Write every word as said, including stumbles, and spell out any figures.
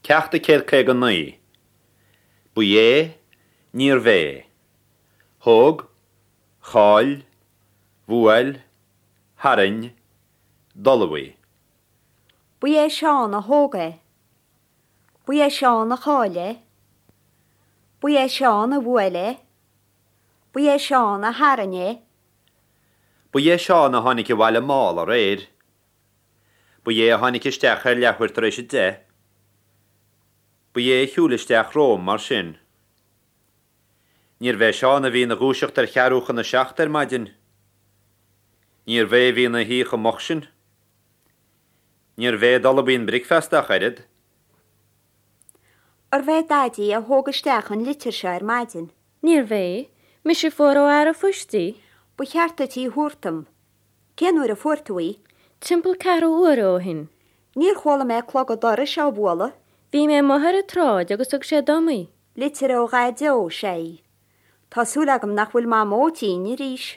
Ceacht a céad caoga naoi. Ba é, níorbh é. Thóg, chaill, bhuail, tharraing, d'ullmhaigh. Ba é Seán a thóg é. Ba é Seán a chaill é. Ba é Seán a bhuail é. Ba é Seán a tharraing é. Ba é Seán a tháinig abhaile mall aréir. Ba é a tháinig isteach ar leathuair tar éis a deich. Ba é a shiúil isteach romham mar sin. Níorbh é Seán a bhí ina dhúiseacht ar cheathrú chun a seacht ar maidin. Níorbh é a bhí ina shuí chomh moch sin. Níorbh é a d'ullmhaigh an bricfeasta ach oiread. Arbh é Daidí a thóg isteach an litir seo ar maidin. Níorbh é, mise a fuair ó fhear an phoist í. Ba cheart duit í a thabhairt dom. Cén uair a fuair tú í? Timpeall ceathrú uaire ó shin. Níor chuala mé clog an dorais á bhualadh. Bhí mé amuigh ar an tsráid agus thug sé dom í. Litir ó Dhaideo is ea í. Tá súil agam nach bhfuil Mamó tinn arís.